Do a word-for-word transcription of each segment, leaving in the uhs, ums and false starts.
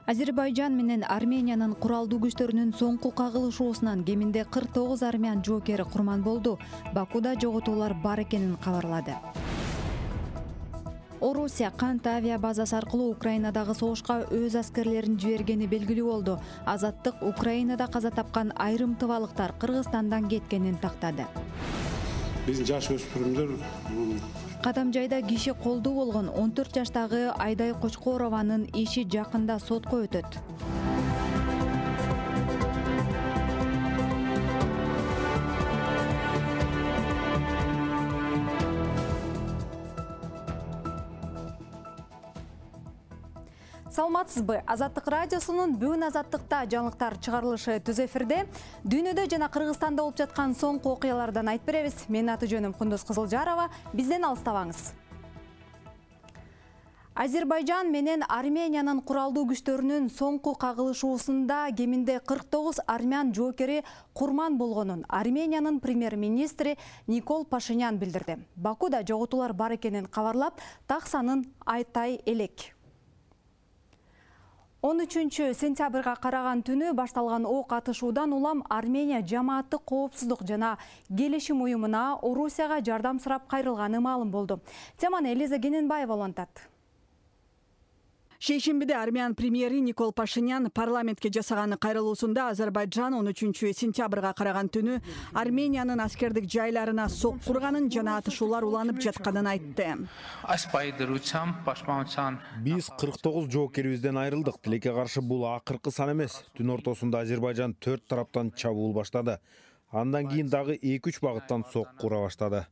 Азербайжан менен Армениянын куралдуу күчтөрүнүн соңку кагылышуусунан кеминде кырк тогуз армян жоокери курман болду. Бакуда жоготуулар бар экенин кабарлады. Орусия Кант авиа базасы аркылуу Украинадагы согушка өз аскерлерин жибергени белгилүү болду. Азаттык Украинада каза тапкан айрым тыбалыктар Кыргызстандан кеткенин тактады. Биздин жаш өспүрүмдөр Кадамжайда киши колдуу болгон он төрт жаштагы Айдай Кочкорованын иши жакында сотко өтөт. Саламатсызбы? Азаттык радиосунун бүгүн Азаттыкта жаңылыктар чыгарылышы түз эфирде. Дүйнөдө жана Кыргызстанда болуп жаткан соңку окуялардан айтып беребиз. Менин аты жөнүм Кундуз Кызылжарова. Бизден алыстабаңыз. Азербайжан менен Армениянын куралдуу күчтөрүнүн соңку кагылышуусунда кеминде кырк тогуз армян жоокери курман болгонун Армениянын премьер-министри Никол Пашинян билдирди. Бакуда жоготуулар бар экенин кабарлап, так санын айтай элек. он үчүнчү сентябрга караган түнү башталган ок атышуудан улам Армения жамааттык коопсуздук жана келишим уюмуна Орусияга жардам сурап кайрылганы маалым болду. Теманы Элиза Гененбаева улантат. Шейшембиде армян премьери Никол Пашинян парламентке жасаган кайрылуусунда Азербайжан он үчүнчү сентябрга караган түнү Армениянын аскердик жайларына сок курганын жана атышуулар уланып жатканын айтты. Биз кырк тогуз жоокерибизден айрылдык. Тилекке каршы бул акыркы сан эмес. Түн ортосунда Азербайжан төрт тараптан чабуул баштады. Андан кийин дагы эки үч багыттан сок кура баштады.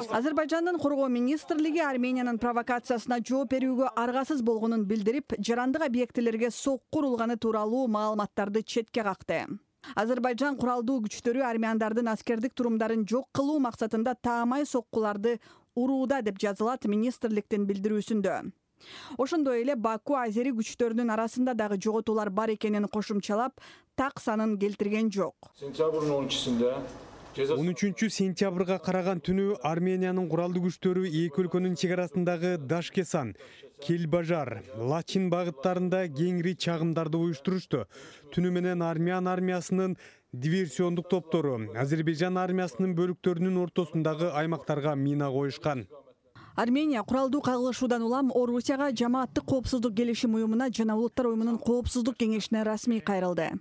Азербайжандын коргоо министрлиги Армениянын провокациясына жооп берүүгө аргасыз болгонун билдирип, жарандык объектилерге сок курулганы тууралуу маалыматтарды четке какты. Азербайжан куралдуу күчтөрү армяндардын аскердик турумдарын жок кылуу максатында таамай соккуларды урууда деп жазылат министрликтин билдирүүсүндө. Ошондой эле Баку азери күчтөрүнүн арасында дагы жоготуулар бар экенин кошумчалап, так санын келтирген жок. Сентябрдын он үчүсүндө он үчүнчү сентябрга караган түнү Армениянын куралдуу күчтөрү эки өлкөнүн чек арасындагы Дашкесан, Келбажар, Лачин багыттарында кеңири чагымдарды уюштурушту. Түнү менен армян армиясынын диверсиондук топтору Азербайжан армиясынын бөлүктөрүнүн ортосундагы аймактарга мина коюшкан. Армения куралдуу кагылышуудан улам Орусияга жамааттык коопсуздук келишим уюмуна жана Улуттар уюмунун коопсуздук кеңешине расмий кайрылды.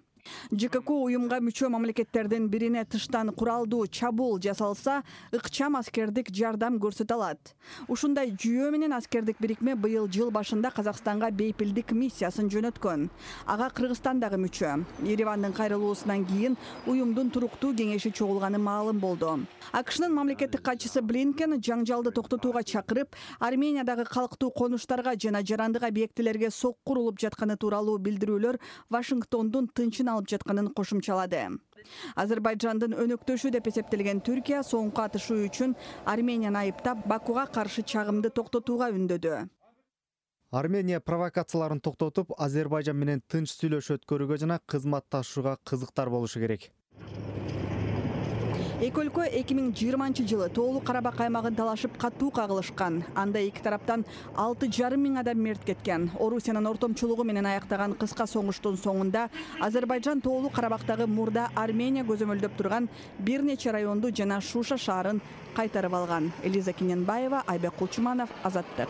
ЖКК уюмга мүчө мамлекеттердин бирине тыштан куралдуу чабуул жасалса, ыкчам аскердик жардам көрсөтө алат. Ушундай жүйө менен аскердик бирикме быйыл жыл башында Казакстанга бейпилдик миссиясын жөнөткөн. Ага Кыргызстан дагы мүчө. Еревандын кайрылуусунан кийин уюмдун туруктуу кеңеши чогулганы маалым болду. АКШнын мамлекеттик катчысы Блинкен жаңжалды токтотууга чакырып, Армениядагы калктуу конуштарга жана жарандык объектилерге сок курулуп жатканы тууралуу билдирүүлөр Вашингтондун тынчын алып жатканын кошумчалады. Азербайжандын өнөктөшү деп эсептелген Түркия соңку атышуу үчүн Арменияны айыптап, Бакуга каршы чагымды токтотууга үндөдү. Армения провокацияларын токтотуп, Азербайжан менен тынч сүйлөшүү өткөрүүгө жана кызматташууга кызыктар болушу керек. Эки өлкө эки миң жыйырманчы жылы Тоолуу Карабак аймагын талашып катуу кагылышкан. Анда эки тараптан алты жарым миң адам мерт кеткен. Орусиянын ортомчулугу менен аяктаган кыска соңуштун соңунда Азербайжан Тоолуу Карабактагы мурда Армения көзөмөлдөп турган бир нече районду жана Шуша шаарын кайтарып алган. Элиза Гененбаева, Айбек Кулчуманов, Азаттык.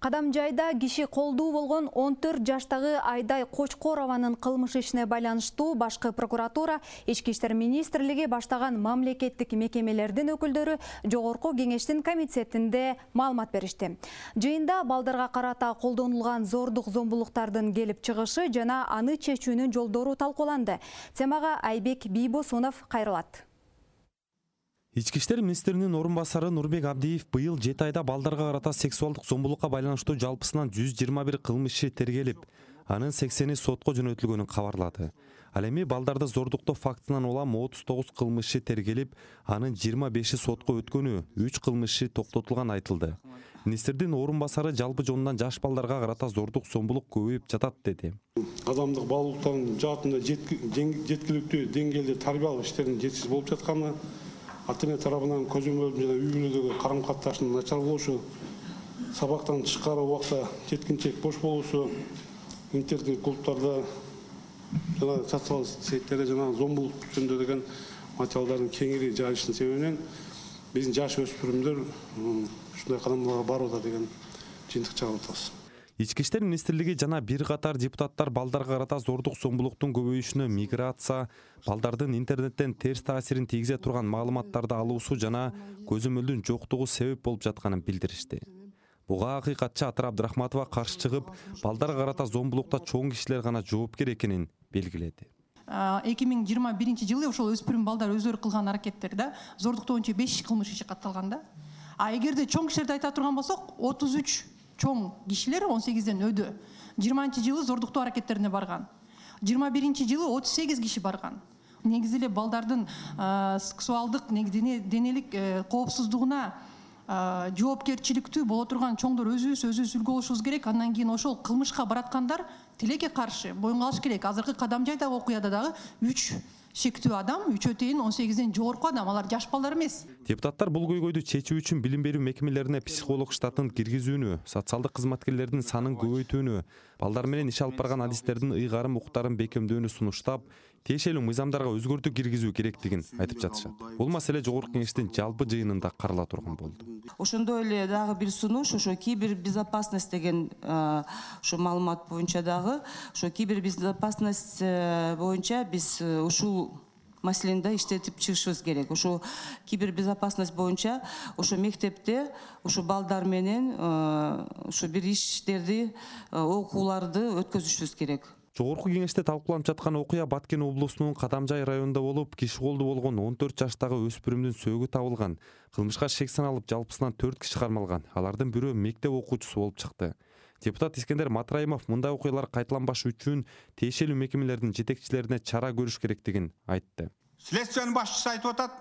Кадамжайда киши колдуу болгон он төрт жаштагы Айдай Кочкорованын кылмыш ишине байланыштуу башкы прокуратура, Ички иштер министрлиги баштаган мамлекеттик мекемелердин өкүлдөрү Жогорку кеңештин комитетинде маалымат беришти. Жыйында балдарга карата колдонулган зордук зомбулуктардын келип чыгышы жана аны чечүүнүн жолдору талкууланды. Темага Айбек Бийбосунов кайрылат. Ички иштер министринин орун басары Нурбек Абдиев быйыл жети айда балдарга карата сексуалдык зомбулукка байланыштуу жалпысынан жүз жыйырма бир кылмыш иши тергелип, анын сексени сотко жөнөтүлгөнүн кабарлады. Ал эми балдарды зордуктоо фактынан улам отуз тогуз кылмыш иши тергелип, анын жыйырма беши сотко өткөнү, үч кылмыш иши токтотулган айтылды. Министрдин орун басары жалпы жонунан жаш балдарга карата зордук зомбулук көбөйүп жатат деди. Адамдык баалуулуктардын жаатында жеткиликтүү деңгээлде тарбиялык иштердин жетишсиз болуп жатканы, ата эне тарабынан көзөмөлдү жана үй бүлөдөгү карым катыштын начар болушу, сабактан тышкары убакта жеткинчек бош болуусу, интернет клубтарда жана социалдык сеттерде жана зомбулук жөнүндө деген материалдардын кеңири жайылышынын себебинен биздин жаш өспүрүмдөр ушундай кадамдарга барып атат деген жыйынтык чыгарып атабыз. Ички иштер министрлиги жана бир катар депутаттар балдарга карата зордук зомбулуктун көбөйүшүнө миграция, балдардын интернеттен терс таасирин тийгизе турган маалыматтарды алуусу жана көзөмөлдүн жоктугу себеп болуп жатканын билдиришти. Буга акыйкатчы Атыр Абдрахматова каршы чыгып, балдарга карата зомбулукта чоң кишилер гана жоопкер экенин белгиледи. эки миң жыйырма биринчи жылы ошол өспүрүм балдар өздөрү кылган аракеттерде зордуктоо боюнча беш кылмыш иши катталган да. А эгерде чоң кишилерди айта турган болсок, отуз үч чоң кишилер он сегизден өдө. жыйырманчы жылы зордуктоо аракеттерине барган. жыйырма биринчи жылы отуз сегиз киши барган. Негизи эле балдардын сексуалдык денелик коопсуздугуна жоопкерчиликтүү боло турган чоңдор өзүбүз өзүбүз үлгү болушубуз керек. Андан кийин ошол кылмышка бараткандар тилекке каршы боюнга алыш керек. Азыркы Кадам жайдагы окуяда дагы үч шектүү адам, үчөө тейин он сегизден жогорку адам, алар жаш балдар эмес. Депутаттар бул көйгөйдү чечүү үчүн билим берүү мекемелерине психолог штатын киргизүүнү, социалдык кызматкерлердин санын көбөйтүүнү, балдар менен иш алып барган адистердин ыйгарым укуктарын бекемдөөнү сунуштап, тиешелүү мыйзамдарга өзгөртүү киргизүү керектигин айтып жатышат. Бул маселе жогорку кеңештин жалпы жыйынында карала турган болду. Ошондой эле дагы бир сунуш, ошо кибербезопасность деген ошо маалымат боюнча дагы, ошо кибербезопасность боюнча биз ушул маселени да иштетип чыгышыбыз керек. Ошо кибербезопасность боюнча ошо мектепте ошо балдар менен ошо бир иштерди, окууларды өткөзүшүбүз керек. Жогорку кеңеште талкууланып жаткан окуя Баткен облусунун Кадамжай районунда болуп, киши колду болгон он төрт жаштагы өспүрүмдүн сөөгү табылган. Кылмышка шек саналып, жалпысынан төрт киши кармалган. Алардын бирөө мектеп окуучусу болуп чыкты. Депутат Искендер Матраимов мындай окуялар кайталанбаш үчүн тиешелүү мекемелердин жетекчилерине чара көрүш керектигин айтты. Следствиянын башчысы айтып атат,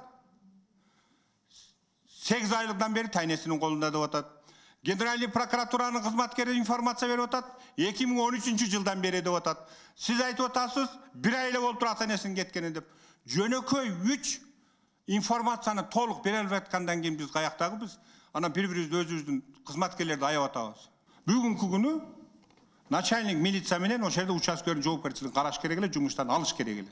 сегиз айлыктан бери тайнесинин колунда деп атат. Генеральный прокуратуранын кызматкери информация берип атат, эки миң он үчүнчү жылдан бери деп атат. Сиз айтып атасыз, бир ай эле болуп туруп ата энесинин кеткени деп. Жөнөкөй үч информацияны толук бере албай аткандан кийин биз каяктагыбыз, анан бири-бирибизди өзүбүздүн кызматкерлерди аяп атабыз. Бүгүнкү күнү начальник милиция менен ошол жерде участкелердин жоопкерчилигин караш керек эле, жумуштан алыш керек эле.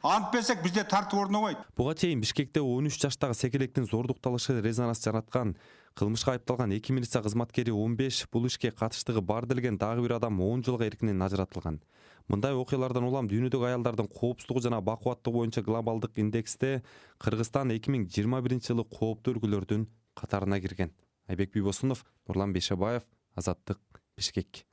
Антпесек бизде тартып орнобойт. Буга чейин Бишкекте он үч жаштагы секелектин зордукталышы резонанс жараткан. Кылмышка айыпталган эки милиция кызматкери он беш, бул ишке катыштыгы бар делген дагы бир адам он жылга эркинен ажыратылган. Мындай окуялардан улам дүйнөдөгү аялдардын коопсуздугу жана бакубаттыгы боюнча глобалдык индексте Кыргызстан эки миң жыйырма биринчи жылы кооптуу өлкөлөрдүн катарына кирген. Айбек Бийбосунов, Нурлан Бейшебаев, Азаттык, Бишкек.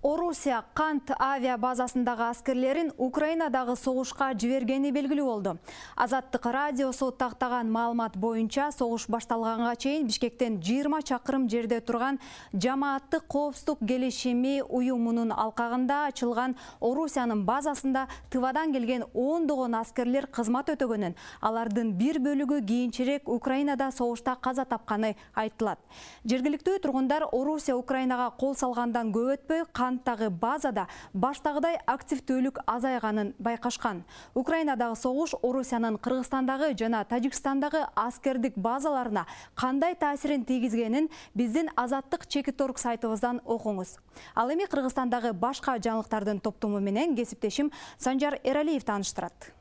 Орусия Кант авиа базасындагы аскерлерин Украинадагы согушка жибергени белгилүү болду. Азаттык радиосу тактаган маалымат боюнча согуш башталганга чейин Бишкектен жыйырма чакырым жерде турган Жамааттык коопсуздук келишими уюмунун алкагында ачылган Орусиянын базасында Тывадан келген ондогон аскерлер кызмат өтөгөнүн, алардын бир бөлүгү кийинчерээк Украинада согушта каза тапканы айтылат. Жергиликтүү тургундар Орусия Украинага кол салгандан көп өтпөй Канттагы базада баштагыдай активдүүлүк азайганын байкашкан. Украинадагы согуш Орусиянын Кыргызстандагы жана Тажикстандагы аскердик базаларына кандай таасирин тийгизгенин биздин Азаттык Чекиторг сайтыбыздан окуңуз. Ал эми Кыргызстандагы башка жаңылыктардын топтому менен кесиптешим Санжар Эралиев тааныштырат.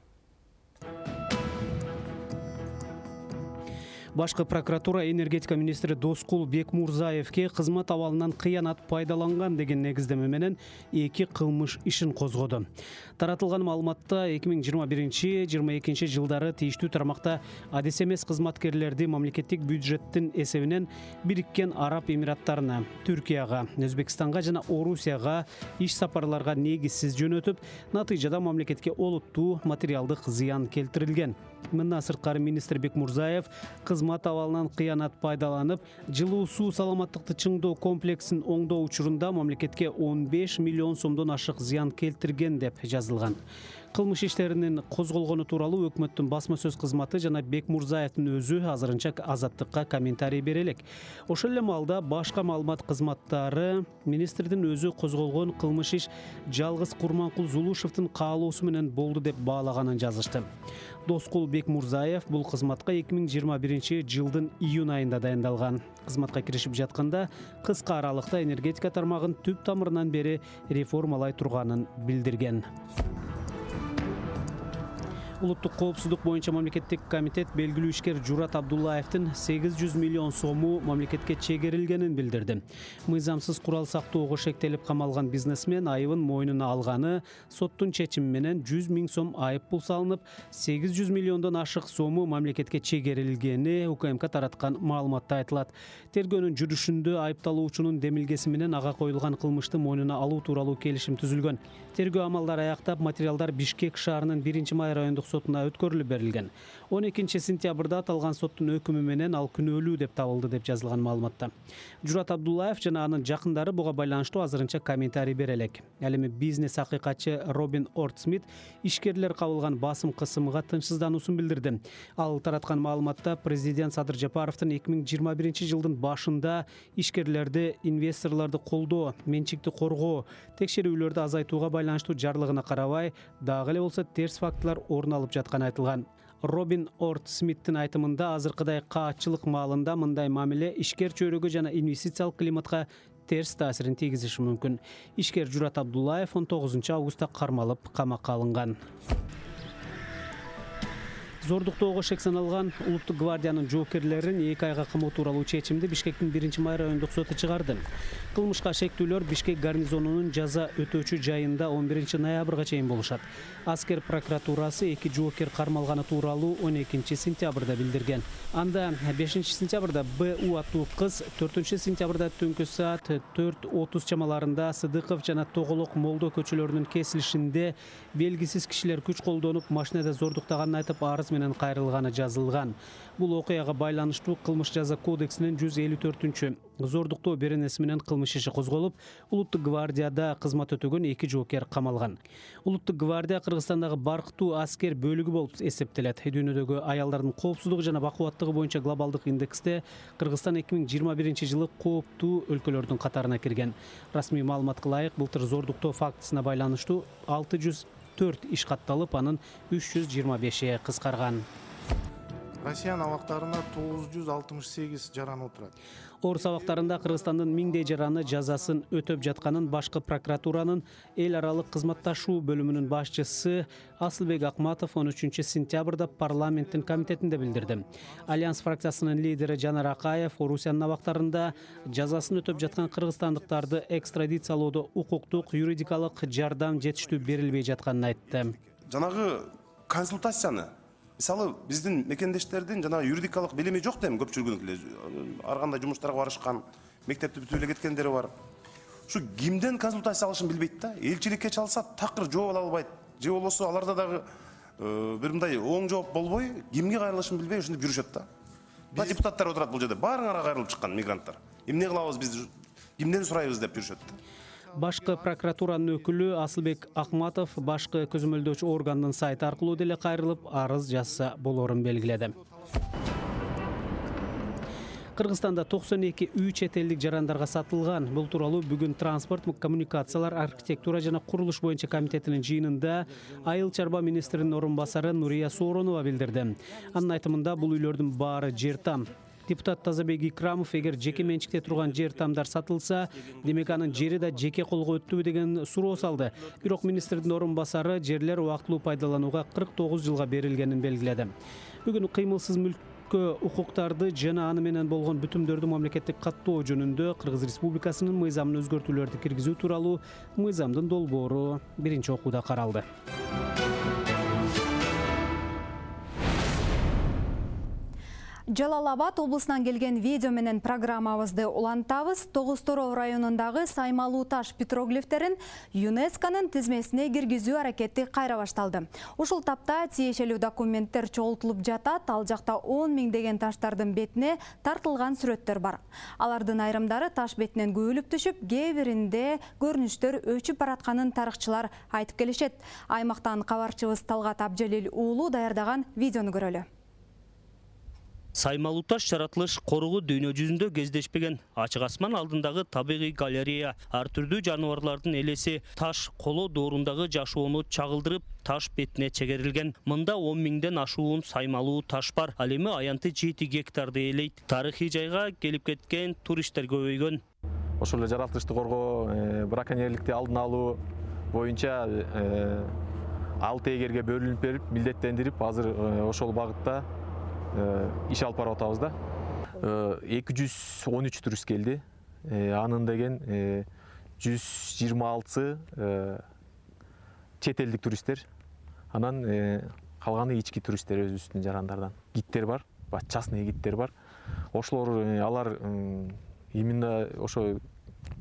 Башкы прокуратура энергетика министри Доскул Бекмурзаевке кызмат абалынан кыянат пайдаланган деген негиздеме менен эки кылмыш ишин козгоду. Таратылган маалыматта эки миң жыйырма биринчи — жыйырма экинчи жылдары тийиштүү тармакта адис эмес кызматкерлерди мамлекеттик бюджеттин эсебинен Бириккен Араб Эмираттарына, Түркияга, Өзбекстанга жана Орусияга иш сапарларга негизсиз жөнөтүп, натыйжада мамлекетке олуттуу материалдык зыян келтирилген. Мындан сырткары министр Бекмурзаев кызмат абалынан кыянат пайдаланып, жылуу суу саламаттыкты чыңдоо комплексин оңдоо учурунда мамлекетке он беш миллион сомдон ашык зыян келтирген деп жазылган. кылмыш иштеринин козголгону тууралуу өкмөттүн басма сөз кызматы жана Бекмурзаевдин өзү азырынча азаттыкка комментарий бере элек. Ошол эле маалда башка маалымат кызматтары министрдин өзү козголгон кылмыш иш жалгыз Курманкул Зулушевдин каалоосу менен болду деп баалаганын жазышты. Доскул Бекмурзаев бул кызматка эки миң жыйырма биринчи жылдын июнь айында дайындалган. Кызматка киришип жатканда кыска аралыкта энергетика тармагын түп тамырынан бери реформалай турганын билдирген. Улуттук коопсуздук боюнча мамлекеттик комитет белгилүү ишкер Журат Абдуллаевдин сегиз жүз миллион сому мамлекетке чегерилгенин билдирди. Мыйзамсыз курал сактоого шектелип камалган бизнесмен айыбын мойнуна алганы, соттун чечими менен жүз миң сом айып пул салынып, сегиз жүз миллиондон ашык сому мамлекетке чегерилгени УКМК тараткан маалыматта айтылат. Тергөөнүн жүрүшүндө айыпталуучунун демилгеси менен ага коюлган кылмышты мойнуна алуу тууралуу келишим түзүлгөн. Тергөө амалдары аяктап, материалдар Бишкек шаарынын биринчи май райондук сотуна өткөрүлүп берилген. он экинчи сентябрда аталган соттун өкүмү менен ал күнөөлүү деп табылды деп жазылган маалыматта. Журат Абдуллаев жана анын жакындары буга байланыштуу азырынча комментарий бере элек. Ал эми бизнес акыйкатчы Робин Ортсмит ишкерлер кабылган басым кысымга тынчсыздануусун билдирди. Ал тараткан маалыматта президент Садыр Жапаровдун эки миң жыйырма биринчи жылдын башында ишкерлерди, инвесторлорду колдоо, менчикти коргоо, текшерүүлөрдү азайтууга байланыштуу жарлыгына карабай, дагы эле болсо терс фактылар орун алып жатканы айтылган. Робин Орт Смиттин айтымында азыркыдай каатчылык маалында мындай мамиле ишкер чөйрөгө жана инвестициялык климатка терс таасирин тийгизиши мүмкүн. Ишкер Журат Абдуллаев он тогузунчу августта кармалып камакка алынган. Зордуктоого шек саналган Улуттук гвардиянын жоокерлерин эки айга камоо тууралуу чечимди Бишкектин биринчи май райондук соту чыгарды. Кылмышка шектүүлөр Бишкек гарнизонунун жаза өтөөчү жайында он биринчи ноябрга чейин болушат. Аскер прокуратурасы эки жоокер кармалганы тууралуу он экинчи сентябрда билдирген. Анда бешинчи сентябрда Б У аттуу кыз, төртүнчү сентябрда түнкү саат төрт отуз чамаларында Сыдыков жана Тоголок Молдо көчөлөрүнүн кесилишинде белгисиз кишилер күч колдонуп машинада зордуктаганын айтып арыз менен кайрылганы жазылган. Бул окуяга байланыштуу Кылмыш жаза кодексинин жүз элүү төртүнчү зордуктоо беренеси менен кылмыш иши козголуп, Улуттук гвардияда кызмат өтөгөн эки жоокер камалган. Улуттук гвардия Кыргызстандагы баркытуу аскер бөлүгү болуп эсептелет. Дүйнөдөгү аялдардын коопсуздугу жана бакубаттыгы боюнча глобалдык индексте Кыргызстан эки миң жыйырма биринчи жылы кооптуу өлкөлөрдүн катарына кирген. Расмий маалыматка ылайык, былтыр зордуктоо фактысына байланыштуу алты жүз төрт иш катталып, анын үч жүз жыйырма беши кыскарган. Россиянын абактарында тогуз жүз алтымыш сегиз жаранып отурат. Орус абактарында Кыргызстандын миңдей жараны жазасын өтөп жатканын башкы прокуратуранын эл аралык кызматташуу бөлүмүнүн башчысы Асылбек Акматов он үчүнчү сентябрда парламенттин комитетинде билдирди. Альянс фракциясынын лидери Жанар Акаев Орусиянын абактарында жазасын өтөп жаткан кыргызстандыктарды экстрадициялоодо укуктук, юридикалык жардам жетиштүү берилбей жатканын айтты. Жанагы консультацияны мисалы биздин мекендештердин жана юридикалык билими жок дейм, көпчүлүгүнүн эле ар кандай жумуштарга барышкан, мектепти бүтүп эле кеткендери бар. Ушу кимден консультация алышын билбейт да. Элчиликке чалса такыр жооп ала албайт. Же болбосо аларда дагы бир мындай оң жооп болбой, кимге кайрылышын билбей ушинтип жүрүшөт да. Ба депутаттар отурат бул жерде, баарыңарга кайрылып чыккан мигранттар. Эмне кылабыз биз, кимден сурайбыз деп жүрүшөт да. Башкы прокуратуранын өкүлү Асылбек Акматов башкы көзөмөлдөөчү органдын сайты аркылуу деле кайрылып арыз жазса болорун белгиледи. Кыргызстанда токсон эки үй чет элдик жарандарга сатылган. Бул тууралуу бүгүн транспорт, коммуникациялар, архитектура жана курулуш боюнча комитетинин жыйынында Айыл чарба министринин орун басары Нурия Сооронова билдирди. Анын айтымында бул үйлөрдүн баары жер там. Депутат Тазабек Икрамов эгер жеке менчикте турган жер тамдар сатылса, демек анын жери да жеке колго өттүбү деген суроо салды. Бирок министрдин орун басары жерлер убактылуу пайдаланууга кырк тогуз жылга берилгенин белгиледи. Бүгүн кыймылсыз мүлккө укуктарды жана аны менен болгон бүтүмдөрдү мамлекеттик каттоо жөнүндө Кыргыз Республикасынын мыйзамына өзгөртүүлөрдү киргизүү тууралуу мыйзамдын долбоору биринчи окууда каралды. Жалал Абад облусунан келген видео менен программабызды улантабыз. Тогуз Тороо районундагы Саймалуу таш петроглифтерин ЮНЕСКОнун тизмесине киргизүү аракети кайра башталды. Ушул тапта тиешелүү документтер чогултулуп жатат. Ал жакта он миңдеген таштардын бетине тартылган сүрөттөр бар. Алардын айрымдары таш бетинен көбүлүп түшүп, кээ биринде көрүнүштөр өчүп баратканын тарыхчылар айтып келишет. Аймактан кабарчыбыз Талгат Абжалил уулу даярдаган видеону көрөлү. Саймалуу таш жаратылыш корогу дүйнө жүзүндө кездешпеген. Ачык асман алдындагы табигый галерея, ар түрдүү жаныбарлардын элеси, таш коло доорундагы жашоону чагылдырып, таш бетине чегерилген. Мында он миңден ашуун саймалуу таш бар. Ал эми аянты жети гектарды ээлейт. Тарыхый жайга келип кеткен туристтер көбөйгөн. Ошол эле жаратылышты коргоо, браконьерликти алдын алуу боюнча алты эгерге бөлүнүп берип, милдеттендирип, азыр ошол багытта иш алып барып атабыз да. эки жүз он үч турист келди. Анын деген жүз жыйырма алтысы чет элдик туристтер. Анан калганы ички туристтер, өзүбүздүн жарандардан. Гидтер бар, частный гидтер бар. Ошолор алар именно ошо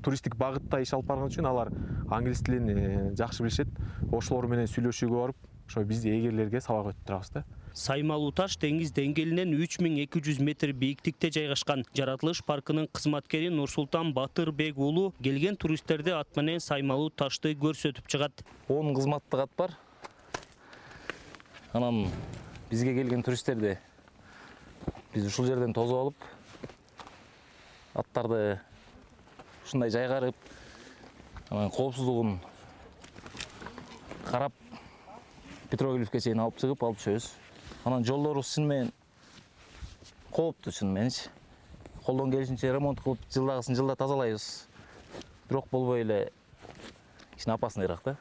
туристтик багытта иш алып барган үчүн алар англис тилин жакшы билишет. Ошолор менен сүйлөшүүгө барып, ошо биз эгерлерге сабак өтүп турабыз да. Саймалуу таш деңиз деңгээлинен үч миң эки жүз метр бийиктикте жайгашкан. Жаратылыш паркынын кызматкери Нурсултан Батырбек уулу келген туристтерди ат менен Саймалуу ташты көрсөтүп чыгат. он кызматтык ат бар. Анан бизге келген туристтерди биз ушул жерден тосуп алып, аттарды ушундай жайгарып, анан коопсуздугун карап, петроглифке чейин алып чыгып, алып түшөбүз. Анан жолдорубуз чын менен кооптуу, чын мененчи. Колдон келишинче ремонт кылып, жылдагысын жылда тазалайбыз. Бирок болбой эле кичине опасныйраак да.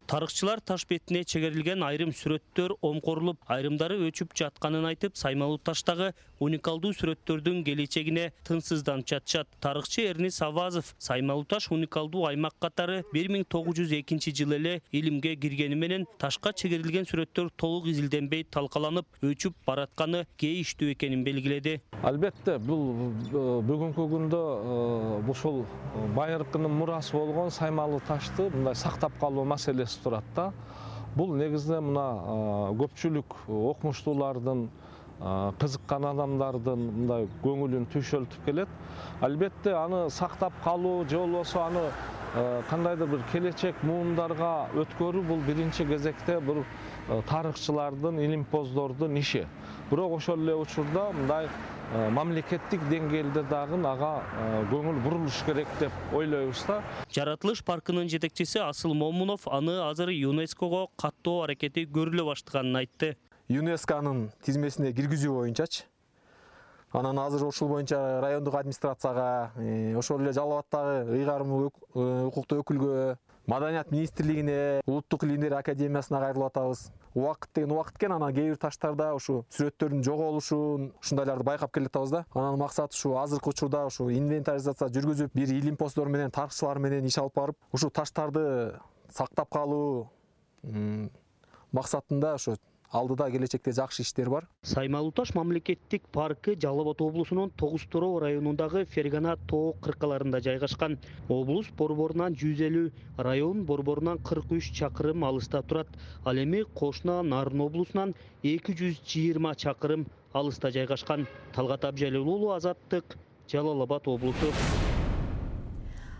Тарыхчылар таш бетине чегерилген айрым сүрөттөр омкорулуп, айрымдары өчүп жатканын айтып, Саймалуу таштагы уникалдуу сүрөттөрдүн келечегине тынсызданып жатышат. Тарыхчы Эрнис Авазов Саймалуу таш уникалдуу аймак катары бир миң тогуз жүз экинчи жылы эле илимге киргени менен ташка чегерилген сүрөттөр толук изилденбей талкаланып, өчүп баратканы кейиштүү экенин белгиледи. Албетте, бул бүгүнкү күндө ушул байыркынын мурасы болгон Саймалуу ташты мындай сактап калуу маселеси турат да. Бул негизде мына көпчүлүк окумуштуулардын, кызыккан адамдардын мындай көңүлүн түшөлтүп келет. Албетте аны сактап калуу же болбосо аны кандайдыр бир келечек муундарга өткөрүү бул биринчи кезекте бул тарыхчылардын, илимпоздордун иши. Бирок ошол эле учурда мындай мамлекеттик деңгээлде дагы ага көңүл бурулуш керек деп ойлойбуз да. Жаратылыш паркынын жетекчиси Асыл Момунов аны азыр ЮНЕСКого каттоо аракети көрүлө баштаганын айтты. ЮНЕСКонун тизмесине киргизүү боюнчачы. Анан азыр ошол боюнча райондук администрацияга, ошол эле Жалал Абадтагы ыйгарым укуктуу өкүлгө, Маданият министрлигине, Улуттук илимдер академиясына кайрылып атабыз. Убакыт деген убакыт экен, анан кээ бир таштарда ушу сүрөттөрдүн жоголушун, ушундайларды байкап келатабыз да. Анан максат ушу азыркы учурда ушу инвентаризация жүргүзүп, бир илимпоздор менен, тарыхчылар менен иш алып барып, ушу таштарды сактап калуу максатында ушу алдыда келечекте жакшы иштер бар. Саймалуу таш мамлекеттик паркы Жалал Абад облусунун Тогуз Тороо районундагы Фергана тоо кыркаларында жайгашкан. Облус борборунан жүз элүү, район борборунан кырк үч чакырым алыста турат. Ал эми кошуна Нарын облусунан эки жүз жыйырма чакырым алыста жайгашкан. Талгат Абжалил уулу, Азаттык, Жалал Абад облусу.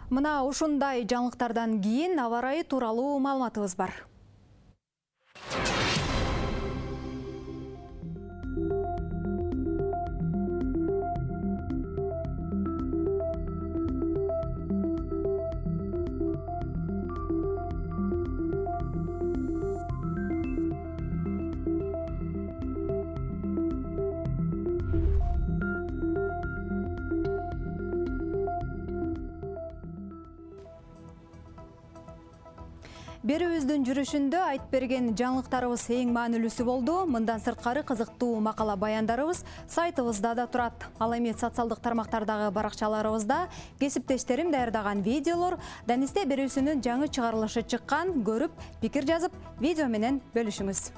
Мына ушундай жаңылыктардан кийин аба ырайы тууралуу маалыматыбыз бар. Берүүбүздүн жүрүшүндө айтып берген жаңылыктарыбыз эң маанилүүсү болду. Мындан сырткары кызыктуу макала баяндарыбыз сайтыбызда да турат. Ал эми социалдык тармактардагы баракчаларыбызда кесиптештерим даярдаган видеолор, Данисте берүүсүнүн жаңы чыгарылышы чыккан, көрүп, пикир жазып, видео менен бөлүшүңүз.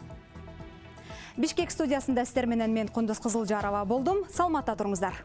Бишкек студиясында сиздер менен мен Кундуз Кызылжарова болдум. Саламатта туруңуздар.